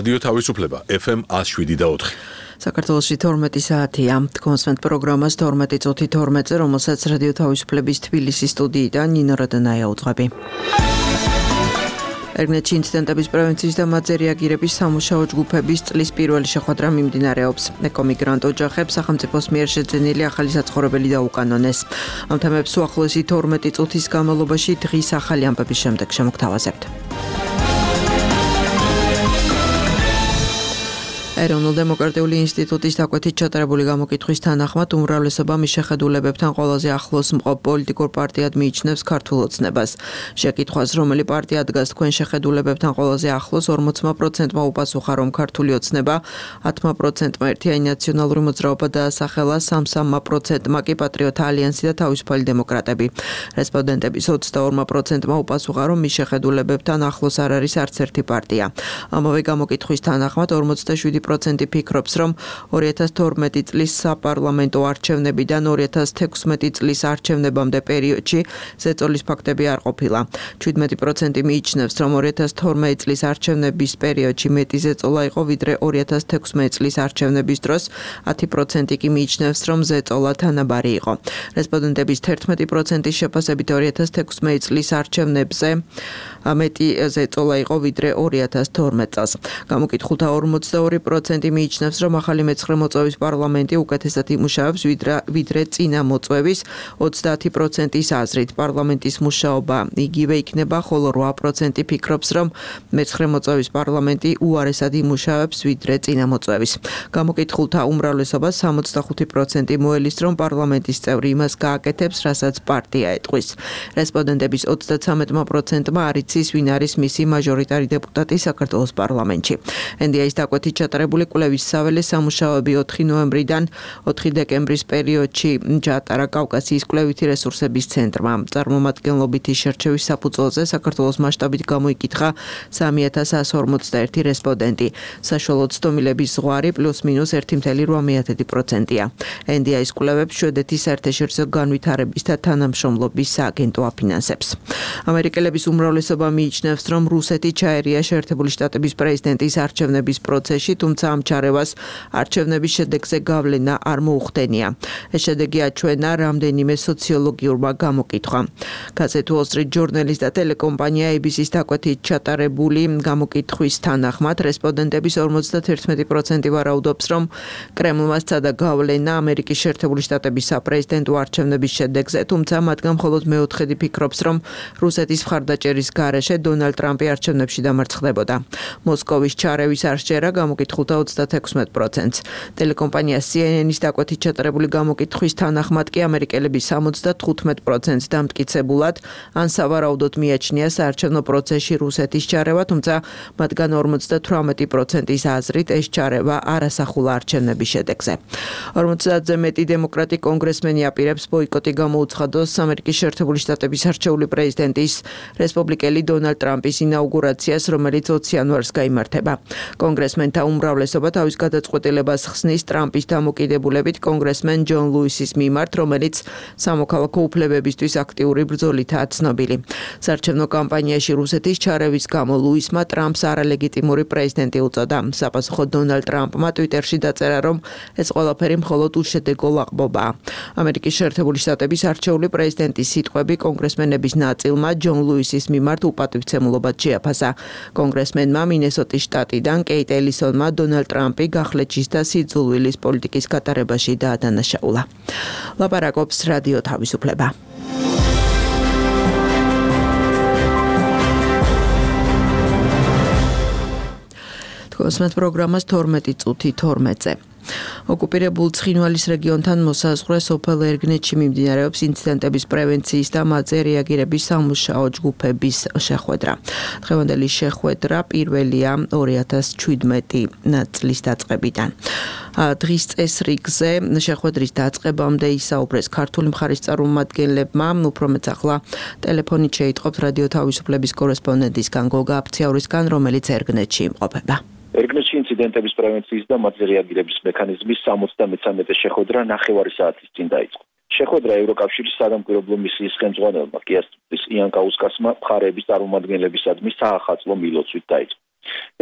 რადიო თავისუფლება FM 107.4. საქართველოში 12 საათია. კონსვენტ პროგრამას 12:12-ზე, რომელსაც რადიო თავისუფლების თბილისის სტუდიიდან ნინო როდანაია უძღვები. ერგნეთში ინციდენტების პრევენციის და მათზე რეაგირების სამუშაო ჯგუფების წლის პირველი შეხვედრა მიმდინარეობს. ეკომიგრანტ ოჯახებს სახელმწიფოს მიერ შეძენილი ახალი საცხოვრებელი დაუკანონეს. ამ თემებს უახლოესი 12 წუთის განმავლობაში დღის ახალი ამბების შემდეგ შემოგთავაზებთ. ეროვნულ-დემოკრატიული ინსტიტუტის დაკვეთით ჩატარებული გამოკითხვის თანახმად უმრავლესობა მის შეხედულებებთან ყველაზე ახლოს მყოფ პოლიტიკურ პარტიად მიიჩნევს ქართულ ოცნებას. შეკითხვას, რომელი პარტია დგას თქვენ შეხედულებებთან ყველაზე ახლოს, 40%-მა უპასუხა, რომ ქართული ოცნება, 10%-მა ერთიანი ნაციონალური მოძრაობა დაასახელა, 33%-მა კი პატრიოტთა ალიანსი და თავისუფალი დემოკრატები. რესპონდენტების 22%-მა უპასუხა, რომ მის შეხედულებებთან ახლოს არ არის არც ერთი პარტია. ამავე გამოკითხვის თანახმად 47% ფიქრობს, რომ 2012 წლის საპარლამენტო არჩევნებიდან 2016 წლის არჩევნებამდე პერიოდში ზეწოლის ფაქტები არ ყოფილა. 17% მიიჩნევს, რომ 2012 წლის არჩევნების პერიოდში მეტი ზეწოლა იყო, ვიდრე 2016 წლის არჩევნების დროს. 10% კი მიიჩნევს, რომ ზეწოლა თანაბარი იყო. რესპონდენტების 11%-ის შეფასებით 2016 წლის არჩევნებზე მეტი ზეწოლა იყო, ვიდრე 2012 წელს. გამოკითხულთა 42% მიიჩნევს, რომ ახალი მეცხრე მოწვევის პარლამენტი უკეთესად იმუშავებს, ვიდრე წინა მოწვევის. 30%-ის აზრით პარლამენტის მუშაობა იგივე იქნება, ხოლო 8% ფიქრობს, რომ მეცხრე მოწვევის პარლამენტი უარესად იმუშავებს, ვიდრე წინა მოწვევის. გამოკითხულთა უმრავლესობას 65% მოელის, რომ პარლამენტის წევრი იმას გააკეთებს, რასაც პარტია ეტყვის. რესპონდენტების 33%-მა არ იცის, ვინ არის მისი მაჟორიტარი დეპუტატი საქართველოს პარლამენტში. NDI-ის დაკვეთით ჩატარებული კვლევის საველე სამუშაოები 4 ნოემბრიდან 4 დეკემბრის პერიოდში ჩაატარა კავკასიის კვლევითი რესურსების ცენტრმა. წარმომადგენლობითი შერჩევის საფუძველზე საქართველოს მასშტაბით გამოიკითხა 3141 რესპონდენტი. საშუალო ცდომილების ზღვარი +-1.8%-ია. NDI-ის კვლევებს შვედეთის საერთაშორისო განვითარების და თანამშრომლობის სააგენტო აფინანსებს. ამერიკელების უმრავლესობა მიიჩნევს, რომ რუსეთი ჩაერია შეერთებული შტატების პრეზიდენტის არჩევნების პროცესში, თუმცა ამ ჩარევას არჩევნების შედეგზე გავლენა არ მოუხდენია. ეს შედეგი აჩვენა რამდენიმე სოციოლოგიურმა გამოკითხვამ. გაზეთ Wall Street Journal-ის და ტელეკომპანია ABC-ის დაკვეთით ჩატარებული გამოკითხვის თანახმად რესპონდენტების 51% ვარაუდობს, რომ კრემლმა სცადა გავლენა ამერიკის შეერთებული შტატების საპრეზიდენტო არჩევნების შედეგზე, თუმცა მათგან მხოლოდ მეოთხედი ფიქრობს, რომ რუსეთის მხარდაჭერის გარეშე დონალდ ტრამპი არჩევნებში დამარცხდებოდა. მოსკოვის ჩარევის არჩევა გამოკითხულთა 36%-ს. ტელეკომპანია CNN-ის დაკვეთით ჩატარებული გამოკითხვის თანახმად კი ამერიკელები 75%-ს დამტკიცებულად ან სავარაუდოდ მიაჩნია საარჩევნო პროცესში რუსეთის ჩარევა, თუმცა მათგან 58%-ის აზრით ეს ჩარევა არ ასახულა არჩევნების შედეგზე. 50-ზე მეტი დემოკრატი კონგრესმენი აპირებს ბოიკოტი გამოუცხადოს ამერიკის შეერთებული შტატების არჩეული პრეზიდენტის რესპუბლიკელი დონალდ ტრამპის ინაუგურაციას, რომელიც 20 იანვარს გაიმართება. კონგრესმენთა უმრავლესობა თავის გადაწყვეტილებას ხსნის ტრამპის დამოკიდებულებით კონგრესმენ ჯონ ლუისის მიმართ, რომელიც სამოქალაქო უფლებებისთვის აქტიური ბრძოლითაა ცნობილი. საარჩევნო კამპანიაში რუსეთის ჩარევის გამო ლუისმა ტრამპს არალეგიტიმური პრეზიდენტი უწოდა. საპასუხოდ დონალდ ტრამპმა ტვიტერში დაწერა, რომ ეს ყველაფერი მხოლოდ უშედეგო ლაღბობაა. ამერიკის შეერთებული შტატების არჩეული პრეზიდენტის სიტყვები კონგრესმენების ნაწილმა ჯონ ლუისის მიმართ უპატივცემულობად შეაფასა. კონგრესმენმა მინესოტის შტატიდან კეიტ ელისონმა დონალდ ტრამპი გახლეჩის და სიძულვილის პოლიტიკის გატარებაში დაადანაშაულა. ლაპარაკობს რადიო თავისუფლება. კონსვენტ პროგრამას 12:12-ზე. ოკუპირებულ ცხინვალის რეგიონთან მოსაზღვრე სოფელ ერგნეთში მიმდინარეობს ინციდენტების პრევენციის და მათზე რეაგირების სამუშაო ჯგუფების შეხვედრა. დღევანდელი შეხვედრა პირველია 2017 წლის დაწყებიდან. დღის წესრიგზე შეხვედრის დაწყებამდე ისაუბრეს ქართული მხარის წარმომადგენლებმა, უფრო მეც ახლა ტელეფონით შეიტყობთ რადიო თავისუფლების კორესპონდენტისგან გოგა აფციაურისგან, რომელიც ერგნეთში იმყოფება. ერგნეთში ინციდენტების პრევენციის და მათზე რეაგირების მექანიზმის 73-ე შეხვედრა ნახევარი საათის წინ დაიწყო. შეხვედრა ევროკავშირის სადამკვირვებლო მისიის ხელმძღვანელმა კიასტის იან კაუსკასმა მხარეების წარმომადგენლებისადმი საახალწლო მილოცვით დაიწყო.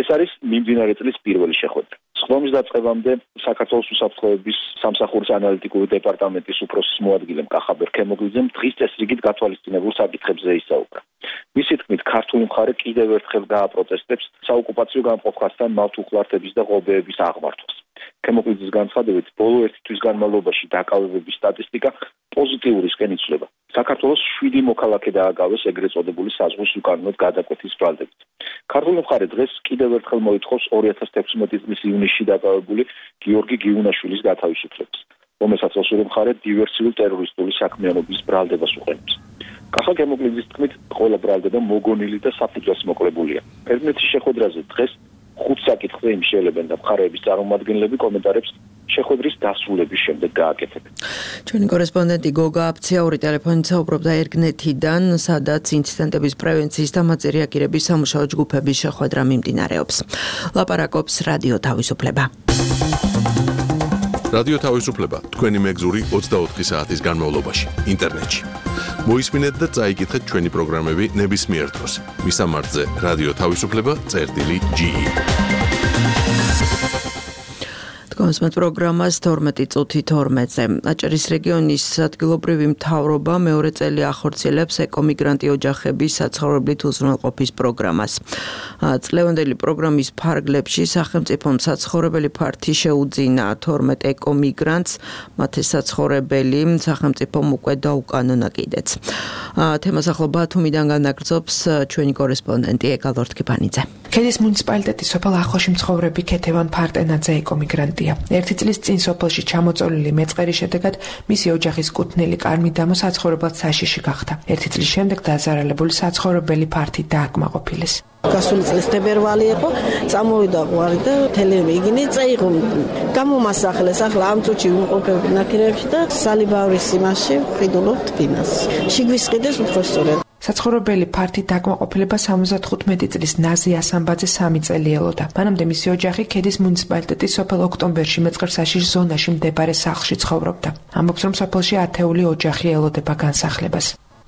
ეს არის მიმდინარე წლის პირველი შეხვედრა. სხდომის დაწყებამდე საქართველოს უსაფრთხოების სამსახურის ანალიტიკური დეპარტამენტის უფროსის მოადგილემ კახაბერ ქემოგლიძემ დღის წესრიგით გათვალისწინებულ საკითხებზე ისაუბრა. მისი თქმით, ქართული მხარე კიდევ ერთხელ გააპროტესტებს საოკუპაციო გამყოფასთან მავთუხლართების და ღობეების აღმართვას. ქემოგლიძის განცხადებით, ბოლო ერთი თვის განმავლობაში დაკავებების სტატისტიკა პოზიტიურისკენ იცვლება. საქართველოს 7 მოქალაქე დააგავეს ეგრეთ წოდებული საზღვის უკანონოდ გადაკვეთის ბრალდებით. ქართული მხარე დღეს კიდევ ერთხელ მოითხოვს 2016 წლის ივნისში დაკავებული გიორგი გიუნაშვილის გათავისუფლებას, რომელსაც ოსური მხარე დივერსიული ტერორისტული საქმიანობის ბრალდებას უყენებს. კახა ქემოგლიძის თქმით, ყველა ბრალდება მოგონილი და საფუძველს მოკლებულია. ერთმანეთის შეხვედრაზე დღეს 5 საკითხზე იმშელებენ და მხარეების წარმომადგენლები კომენტარებს შეხვედრის დასრულების შემდეგ გააკეთებენ. ჩვენი კორესპონდენტი გოგა აფციაური ტელეფონით საუბრობდა ერგნეთიდან, სადაც ინციდენტების პრევენციის და მაწერიაკირების სამუშაო ჯგუფების შეხვედრა მიმდინარეობს. ლაპარაკობს რადიო თავისუფლება. რადიო თავისუფლება თქვენი მეგზური 24 საათის განმავლობაში ინტერნეტში. მოისმინეთ და წაიკითხეთ ჩვენი პროგრამები ნებისმიერ დროს. მისამართზე რადიო თავისუფლება.ge. კონსმეთ პროგრამას 12 წუთი 12-ზე. აჭარის რეგიონის ადგილობრივი მთავრობა მეორე წელი ახორციელებს ეკომიგრანტი ოჯახების საცხოვრებლით უზრუნველყოფის პროგრამას. წლევანდელი პროგრამის ფარგლებში სახელმწიფომ საცხოვრებელი ფართი შეუძინა 12 ეკომიგრანტს, მათი საცხოვრებელი სახელმწიფომ უკვე დაუკანონა კიდეც. თემას ახლა ბათუმიდან განაგრძობს ჩვენი კორესპონდენტი ეგალ ორთქიფანიძე. ქედის მუნიციპალიტეტის სოფელ ახოში მცხოვრები ქეთევან ფარტენაძე ეკომიგრანტია. ერთი წლის წინ სოფელში ჩამოწოლილი მეწყერის შედეგად მისი ოჯახის კუთვნილი კარმიდამო საცხოვრებლად საშიში გახდა. ერთი წლის შემდეგ დაზარალებული საცხოვრებელი ფართი დააკმაყოფილეს. გასული წლის თებერვალი იყო, წამოვიდა ყვარი და თელემი იგინი წაიღო. გამომასახლეს, ახლა ამ წუთში ვიმყოფები ნაკირებში და სალიბავრის იმაში ვყიდულობ თბინას. შიგვის ყიდეს უფრო სწორად. საცხოვრებელი ფართი დაკმაყოფილება 75 წლის ნაზი ასამბაძე 3 წელი ელოდა. მანამდე მისი ოჯახი ქედის მუნიციპალიტეტის სოფელ ოქტომბერში მეწყერსაშიშ ზონაში მდებარე სახლში ცხოვრობდა. ამბობს, რომ სოფელში ათეული ოჯახი ელოდება განსახლებას.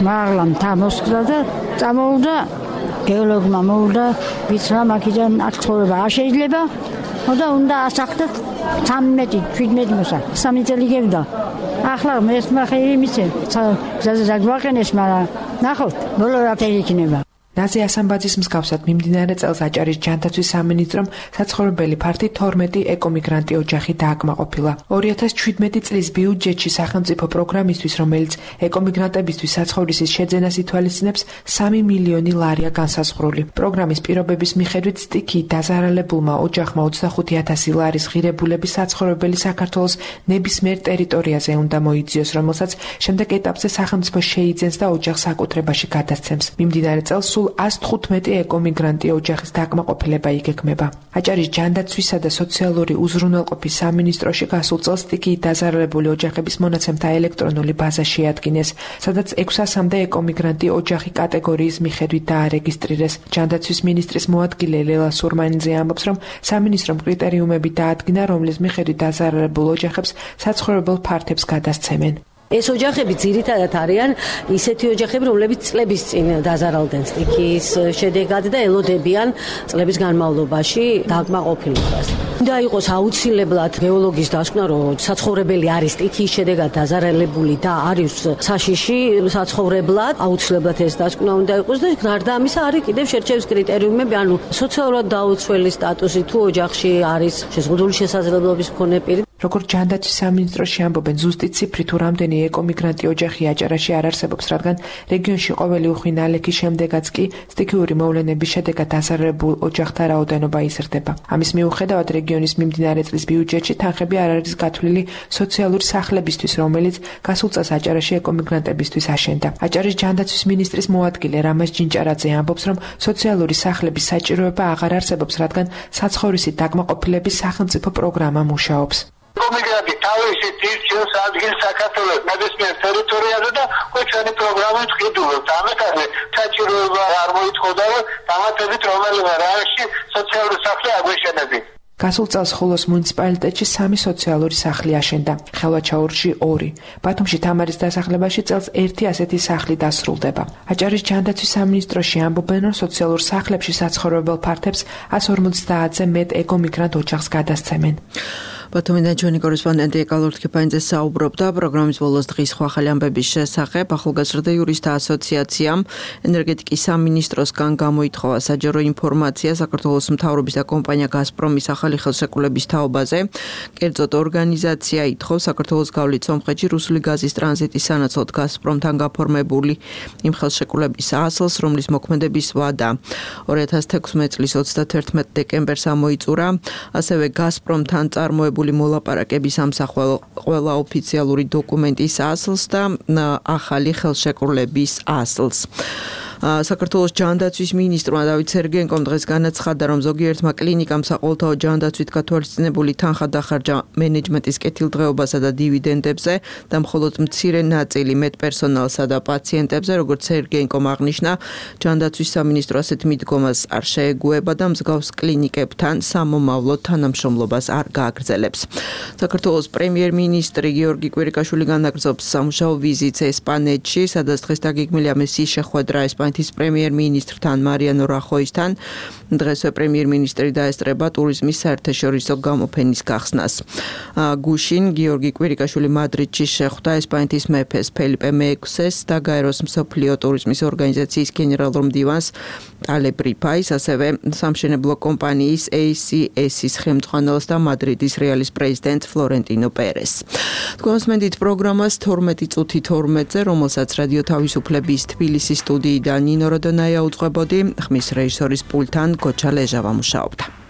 მაღლა მთა მოსკდა და წამოვიდა გეოლოგმა მოვიდა, ვიცრა მაგიდან აქ ცხოვრება არ შეიძლება. და უნდა ასახლოთ 13-17 მოსა. 3 წელი გევდა. ახლა მერტმა ხელი მიცე. ზაგვაყენეს, მაგრამ ნახოთ, ბოლო რა იქნება. ნაზი ასამბაძის მსგავსად მიმდინარე წელს აჭარის ჯანდაცვის სამინისტრომ საცხოვრებელი ფართი 12 ეკომიგრანტი ოჯახი დააკმაყოფილა. 2017 წლის ბიუჯეტში სახელმწიფო პროგრამისთვის, რომელიც ეკომიგრანტებისთვის საცხოვრისის შეძენას ითვალისწინებს, 3 მილიონი ლარია განსაზღვრული. პროგრამის პირობების მიხედვით სტიქიით დაზარალებულმა ოჯახმა 25,000 ლარის ღირებულები საცხოვრებელი საქართველოს ნებისმიერ ტერიტორიაზე უნდა მოიძიოს, რომელსაც შემდეგ ეტაპზე სახელმწიფო შეიძენს და ოჯახს საკუთრებაში გადასცემს. მიმდინარე წელს სულ 115 ეკომიგრანტი ოჯახის დაკმაყოფილება იგეგმება. აჭარის ჯანდაცვისა და სოციალური უზრუნველყოფის სამინისტროში გასულ წელს სტიქიით დაზარალებული ოჯახების მონაცემთა ელექტრონული ბაზა შეადგინეს, სადაც 600-მდე ეკომიგრანტი ოჯახი კატეგორიის მიხედვით დაარეგისტრირეს. ჯანდაცვის მინისტრის მოადგილე ლელა სურმანიძე ამბობს, რომ სამინისტრომ კრიტერიუმები დაადგინა, რომლის მიხედვით დაზარალებულ ოჯახებს საცხოვრებელ ფართებს გადასცემენ. ეს ოჯახები ძირითადად არიან ისეთი ოჯახები, რომლებიც წლების წინ დაზარალდნენ სტიქიის შედეგად და ელოდებიან წლების განმავლობაში დაკმაყოფილებას. უნდა იყოს აუცილებლად გეოლოგის დასკვნა, რომ საცხოვრებელი არის სტიქიის შედეგად დაზარალებული და არის საშიში საცხოვრებლად, აუცილებლად ეს დასკვნა უნდა იყოს და გარდა ამისა არის კიდევ შერჩევის კრიტერიუმები, ანუ სოციალურად დაუცველი სტატუსი თუ ოჯახში არის შეზღუდული შესაძლებლობის მქონე პირი. როგორც ჯანდაცვის სამინისტროში ამბობენ, ზუსტი ციფრი თუ რამდენი ეკომიგრანტი ოჯახი აჭარაში არ არსებობს, რადგან რეგიონში ყოველი უხვი ნალექის შემდეგაც კი სტიქიური მოვლენების შედეგად დაზარალებულ ოჯახთა რაოდენობა იზრდება. ამის მიუხედავად რეგიონის მიმდინარე წლის ბიუჯეტში თანხები არ არის გათვლილი სოციალური სახლებისთვის, რომელიც გასულ წელს აჭარაში ეკომიგრანტებისთვის აშენდა. აჭარის ჯანდაცვის მინისტრის მოადგილე რამაზ ჯინჭარაძე ამბობს, რომ სოციალური სახლების საჭიროება აღარ არსებობს, რადგან საცხოვრისით დაკმაყოფილების სახელმწიფო პროგრამა მუშაობს. ეკომიგრანტი თავისი თირჩევს ადგილს საქართველოს ნებისმიერ ტერიტორიაზე და ჩვენი პროგრამით ყიდულობთ. ამეთანე საჭიროება არ მოითხოვდა, რომ დამატებით რომელიმე რაიონში სოციალური სახლი აგვეშენებინ. გასულ წელს ხულოს მუნიციპალიტეტში 3 სოციალური სახლი აშენდა, ხელვაჩაურში 2. ბათუმში თამარის დასახლებაში წელს 1 ასეთი სახლი დასრულდება. აჭარის ჯანდაცვის სამინისტროში ამბობენ, რომ სოციალურ სახლებში საცხოვრებელ ფართებს 150-ზე მეტ ეკომიგრანტ ოჯახს გადასცემენ. ბათუმიდან ჩვენი კორესპონდენტი ეკალურ თქიფანიძე საუბრობდა პროგრამის ბოლოს დღის სხვა ახალი ამბების შესახებ. ახალგაზრდა იურისტთა ასოციაციამ ენერგეტიკის სამინისტროსგან გამოითხოვა საჯარო ინფორმაცია საქართველოს მთავრობის და კომპანია გაზპრომის ახალი ხელშეკრულების თაობაზე. კერძოდ ორგანიზაცია ითხოვს საქართველოს გავლით სომხეთში რუსული გაზის ტრანზიტის სანაცვლოდ გაზპრომთან გაფორმებული იმ ხელშეკრულების ასლს, რომლის მოქმედების ვადა 2016 წლის 31 დეკემბერს ამოიწურა. ასევე გაზპრომთან წარმოებული მოლაპარაკების ამსახველ ყველა ოფიციალური დოკუმენტის ასლს და ახალი ხელშეკრულების ასლს. საქართველოს ჯანდაცვის მინისტრმა დავით სერგენკომ დღეს განაცხადა, რომ ზოგიერთმა კლინიკამ საყოველთაო ჯანდაცვით გათვალისწინებული თანხა დახარჯა მენეჯმენტის კეთილდღეობასა და დივიდენდებზე და მხოლოდ მცირე ნაწილი მეტ პერსონალსა და პაციენტებზე, როგორც სერგენკომ აღნიშნა, ჯანდაცვის სამინისტრო ასეთ მიდგომას არ შეეგუება და მსგავს კლინიკებთან სამომავლო თანამშრომლობას არ გააგრძელებს. საქართველოს პრემიერ-მინისტრი გიორგი კვირიკაშვილი განაგრძობს სამუშაო ვიზიტს ესპანეთში, სადაც დღეს დაგეგმილია მისიის შეხვედრა ესპანეთის პრემიერ-მინისტრთან მარიანო რახოისთან. დღესვე პრემიერ-მინისტრი დაესწრება ტურიზმის საერთაშორისო გამოფენის გახსნას. გუშინ გიორგი კვირიკაშვილი მადრიდში შეხვდა ესპანეთის მეფეს ფელიპე მეექვსეს და გაეროს მსოფლიო ტურიზმის ორგანიზაციის გენერალურ მდივანს ტალებრიფაის, ასევე სამშენებლო კომპანიის ACS-ის ხელმძღვანელს და მადრიდის რეალის პრეზიდენტ ფლორენტინო პერეს. თქვენს მენდით პროგრამას 12 წუთი 12-ზე, რომელსაც რადიო თავისუფლების თბილისის სტუდიიდან ნინო როდონაია უძღვებოდი, ხმის რეჟისორის პულტთან გოჩა ლეჟავა მუშაობდა.